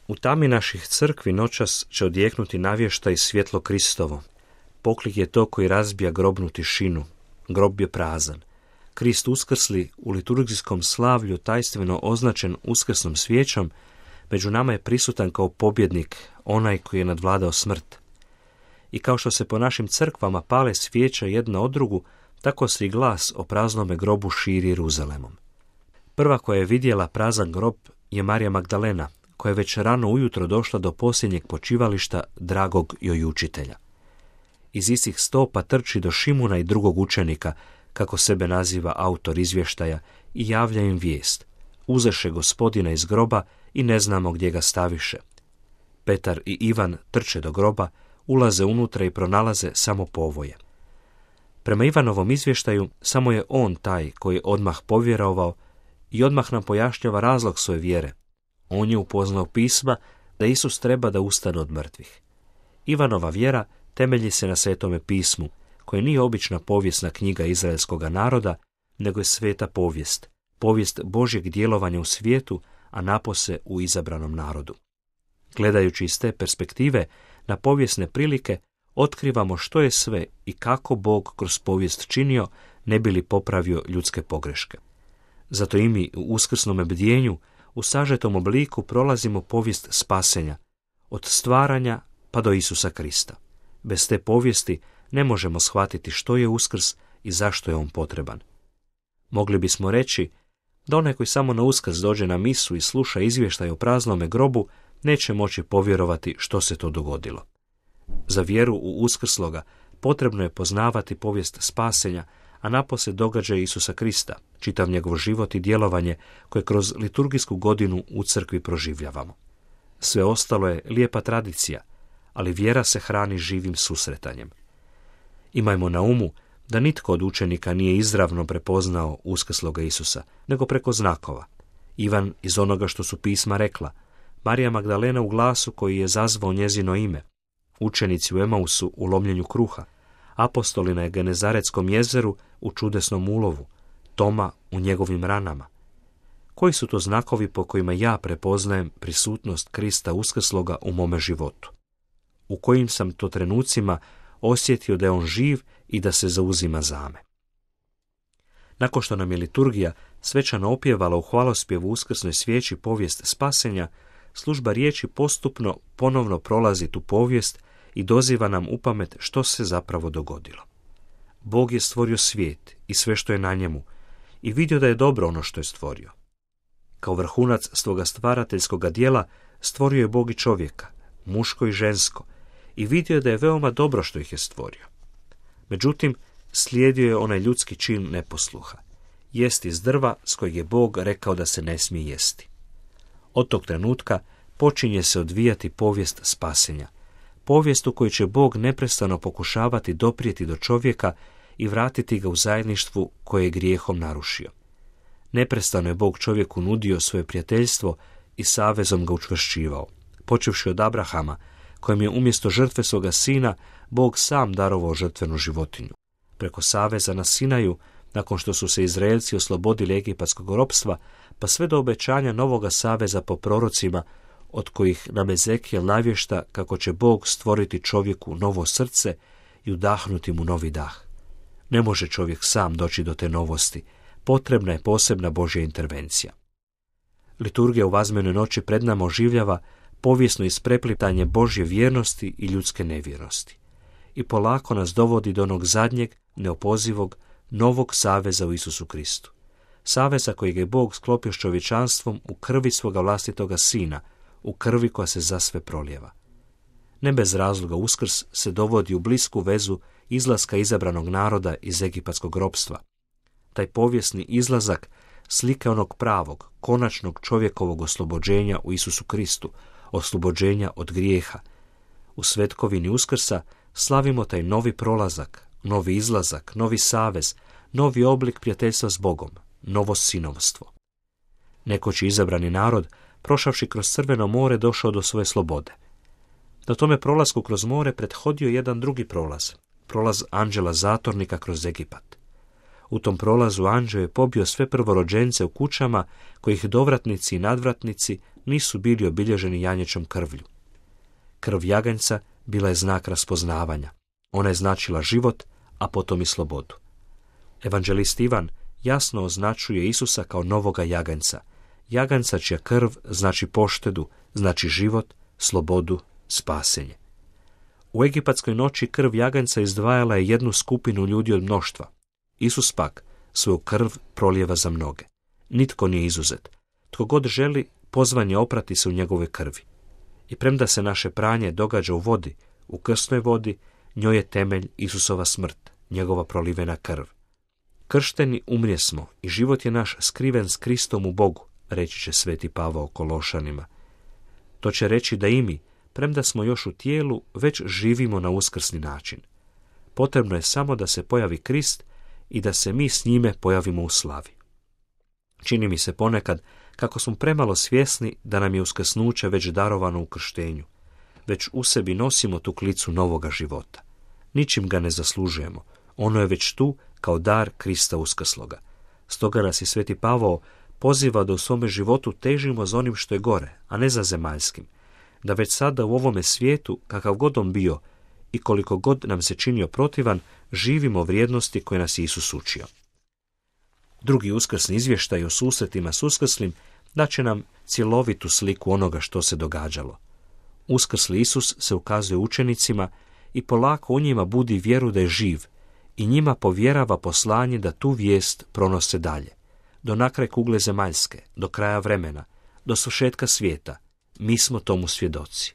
U tami naših crkvi noćas će odjeknuti navještaj svjetlo Kristovo. Poklik je to koji razbija grobnu tišinu. Grob je prazan. Krist uskrsli u liturgijskom slavlju tajstveno označen uskrsnom svijećom, među nama je prisutan kao pobjednik, onaj koji je nadvladao smrt. I kao što se po našim crkvama pale svijeća jedna od drugu, tako se i glas o praznome grobu širi Jeruzalemom. Prva koja je vidjela prazan grob je Marija Magdalena, koja je već rano ujutro došla do posljednjeg počivališta dragog joj učitelja. Iz istih stopa trči do Šimuna i drugog učenika, kako sebe naziva autor izvještaja, i javlja im vijest. Uzeše Gospodina iz groba i ne znamo gdje ga staviše. Petar i Ivan trče do groba, ulaze unutra i pronalaze samo povoje. Prema Ivanovom izvještaju, samo je on taj koji je odmah povjerovao i odmah nam pojašnjava razlog svoje vjere. On je upoznao pisma da Isus treba da ustane od mrtvih. Ivanova vjera temelji se na Svetome pismu, koje nije obična povijesna knjiga izraelskoga naroda, nego je sveta povijest, povijest Božjeg djelovanja u svijetu, a napose u izabranom narodu. Gledajući iz te perspektive na povijesne prilike, otkrivamo što je sve i kako Bog kroz povijest činio, ne bi li popravio ljudske pogreške. Zato i mi u uskrsnom bdjenju u sažetom obliku prolazimo povijest spasenja, od stvaranja pa do Isusa Krista. Bez te povijesti ne možemo shvatiti što je Uskrs i zašto je on potreban. Mogli bismo reći da onaj koji samo na Uskrs dođe na misu i sluša izvještaj o praznome grobu, neće moći povjerovati što se to dogodilo. Za vjeru u uskrsloga potrebno je poznavati povijest spasenja, a napose događaje Isusa Krista, čitav njegov život i djelovanje koje kroz liturgijsku godinu u crkvi proživljavamo. Sve ostalo je lijepa tradicija, ali vjera se hrani živim susretanjem. Imajmo na umu da nitko od učenika nije izravno prepoznao uskrsloga Isusa, nego preko znakova. Ivan iz onoga što su pisma rekla, Marija Magdalena u glasu koji je zazvao njezino ime, učenici u Emausu u lomljenju kruha, apostoli na Genezaretskom jezeru u čudesnom ulovu, Toma u njegovim ranama. Koji su to znakovi po kojima ja prepoznajem prisutnost Krista uskrsloga u mome životu? U kojim sam to trenucima osjetio da je on živ i da se zauzima za me? Nakon što nam je liturgija svečano opjevala u hvalospjevu uskrsnoj svijeći povijest spasenja, služba riječi postupno ponovno prolazi tu povijest i doziva nam u pamet što se zapravo dogodilo. Bog je stvorio svijet i sve što je na njemu i vidio da je dobro ono što je stvorio. Kao vrhunac svoga stvarateljskoga djela stvorio je Bog i čovjeka, muško i žensko, i vidio je da je veoma dobro što ih je stvorio. Međutim, slijedio je onaj ljudski čin neposluha, jesti iz drva s kojeg je Bog rekao da se ne smije jesti. Od tog trenutka počinje se odvijati povijest spasenja, povijest u kojoj će Bog neprestano pokušavati doprijeti do čovjeka i vratiti ga u zajedništvu koje je grijehom narušio. Neprestano je Bog čovjeku nudio svoje prijateljstvo i savezom ga učvršćivao, počevši od Abrahama, kojem je umjesto žrtve svoga sina Bog sam darovao žrtvenu životinju. Preko saveza na Sinaju, nakon što su se Izraelci oslobodili egipatskog ropstva, pa sve do obećanja novoga saveza po prorocima, od kojih nam Ezekijel navješta kako će Bog stvoriti čovjeku novo srce i udahnuti mu novi dah. Ne može čovjek sam doći do te novosti, potrebna je posebna Božja intervencija. Liturgija u Vazmenoj noći pred nama oživljava povijesno ispreplitanje Božje vjernosti i ljudske nevjernosti i polako nas dovodi do onog zadnjeg, neopozivog, novog saveza u Isusu Kristu. Saveza kojeg je Bog sklopio s čovječanstvom u krvi svoga vlastitoga sina, u krvi koja se za sve prolijeva. Ne bez razloga Uskrs se dovodi u blisku vezu izlaska izabranog naroda iz egipatskog ropstva. Taj povijesni izlazak slika onog pravog, konačnog čovjekovog oslobođenja u Isusu Kristu, oslobođenja od grijeha. U svetkovini Uskrsa slavimo taj novi prolazak, novi izlazak, novi savez, novi oblik prijateljstva s Bogom, novo sinovstvo. Nekoć izabrani narod, prošavši kroz Crveno more, došao do svoje slobode. Na tome prolasku kroz more prethodio jedan drugi prolaz, prolaz anđela zatornika kroz Egipat. U tom prolazu anđeo je pobio sve prvorođence u kućama kojih dovratnici i nadvratnici nisu bili obilježeni janjećom krvlju. Krv jaganjca bila je znak raspoznavanja. Ona je značila život, a potom i slobodu. Evanđelist Ivan jasno označuje Isusa kao novoga jaganjca. Jaganjca čija krv znači poštedu, znači život, slobodu, spasenje. U egipatskoj noći krv jaganjca izdvajala je jednu skupinu ljudi od mnoštva. Isus pak svoju krv prolijeva za mnoge. Nitko nije izuzet. Tko god želi, pozvan je oprati se u njegove krvi. I premda se naše pranje događa u vodi, u krsnoj vodi, njoj je temelj Isusova smrt, njegova prolivena krv. Kršteni umrijesmo i život je naš skriven s Kristom u Bogu, reći će sveti Pavao Kološanima. To će reći da i mi, premda smo još u tijelu, već živimo na uskrsni način. Potrebno je samo da se pojavi Krist i da se mi s njime pojavimo u slavi. Čini mi se ponekad kako smo premalo svjesni da nam je uskrsnuće već darovano u krštenju. Već u sebi nosimo tu klicu novoga života. Ničim ga ne zaslužujemo. Ono je već tu kao dar Krista uskrsloga. Stoga nas i sveti Pavao poziva da u svome životu težimo za onim što je gore, a ne za zemaljskim. Da već sada u ovome svijetu, kakav god on bio i koliko god nam se činio protivan, živimo vrijednosti koje nas Isus učio. Drugi uskrsni izvještaj o susretima s uskrslim daće nam cjelovitu sliku onoga što se događalo. Uskrsli Isus se ukazuje učenicima i polako u njima budi vjeru da je živ i njima povjerava poslanje da tu vijest pronose dalje. Do nakraj kugle zemaljske, do kraja vremena, do svršetka svijeta, mi smo tomu svjedoci.